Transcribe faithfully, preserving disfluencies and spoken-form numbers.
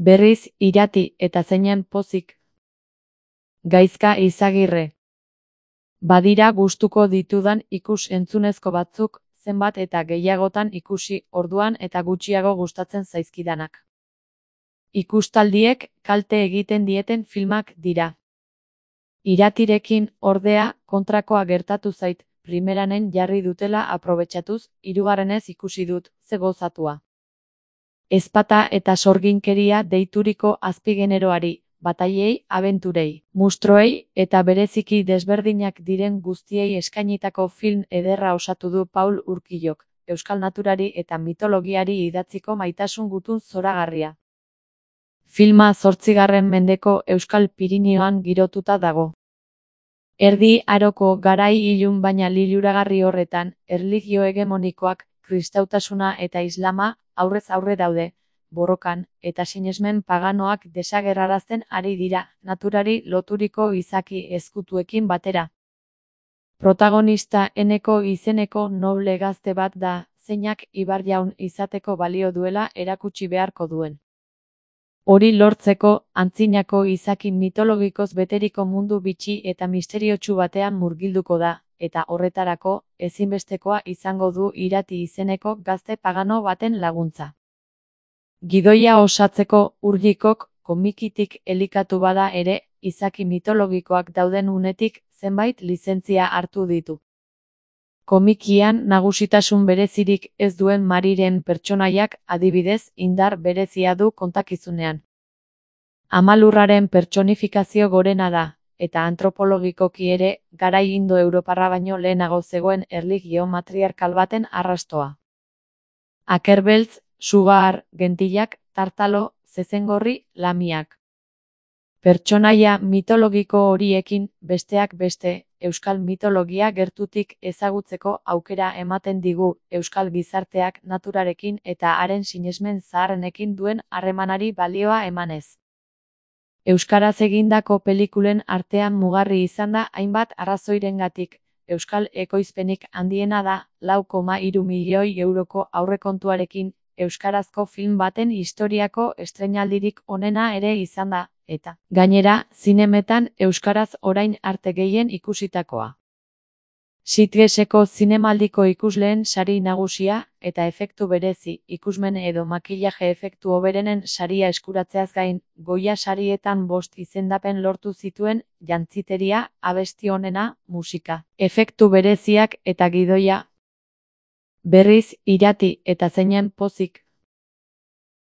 Berriz irati eta zeinen pozik. Gaizka Izagirre. Badira gustuko ditudan ikus-entzunezko batzuk, zenbat eta gehiagotan ikusi orduan eta gutxiago gustatzen zaizkidanak. Ikustaldiek kalte egiten dieten filmak dira. Iratirekin, ordea, kontrakoa gertatu zait, primeranen jarri dutela aprobetxatuz, hirugarrenez ikusi dut, ze gozatua. Ezpata eta sorginkeria deituriko azpigeneroari, batailei, abenturei, mustroei eta bereziki desberdinak diren guztiei eskainitako film ederra osatu du Paul Urquillok, euskal naturari eta mitologiari idatziko maitasun gutun zoragarria. Filma zortzigarren mendeko Euskal Pirinioan girotuta dago. Erdi Aroko garai ilun baina liluragarri horretan, erlijio hegemonikoak, kristautasuna eta islama, aurrez aurre daude, borrokan, eta sinesmen paganoak desagerrarazten ari dira, naturari loturiko izaki ezkutuekin batera. Protagonista Eneko izeneko noble gazte bat da, zeinak ibarjaun izateko balio duela erakutsi beharko duen. Hori lortzeko, antzinako izaki mitologikoz beteriko mundu bitxi eta misteriotsu batean murgilduko da, eta horretarako, ezinbestekoa izango du irati izeneko gazte pagano baten laguntza. Gidoia osatzeko, Urgikok, komikitik elikatu bada ere, izaki mitologikoak dauden unetik, zenbait lizentzia hartu ditu. Komikian nagusitasun berezirik ez duen Mariren pertsonaiak, adibidez, indar berezia du kontakizunean. Amalurraren pertsonifikazio gorena da, eta antropologikoki ere, garai indo-europarra baino lehenago zegoen erlijio matriarkal baten arrastoa. Akerbeltz, Sugar, Gentilak, Tartalo, Zezengorri, Lamiak. Pertsonaia mitologiko horiekin, besteak beste, euskal mitologia gertutik ezagutzeko aukera ematen digu, euskal gizarteak naturarekin eta haren sinesmen zaharrenekin duen harremanari balioa emanez. Euskaraz egindako pelikulen artean mugarri izan da hainbat arrazoirengatik, euskal ekoizpenik handiena da, lau koma hiru milioi euroko aurrekontuarekin, euskarazko film baten historiako estreinaldirik onena ere izan da, eta, gainera, zinemetan euskaraz orain arte gehien ikusitakoa. Sitgeseko zinemaldiko ikusleen sari nagusia, eta efektu berezi, ikusmen edo makillaje efektu hoberenen saria eskuratzeaz gain, Goya sarietan bost izendapen lortu zituen, jantziteria, abesti onena, musika, efektu bereziak eta gidoia. Berriz irati eta zeinen pozik.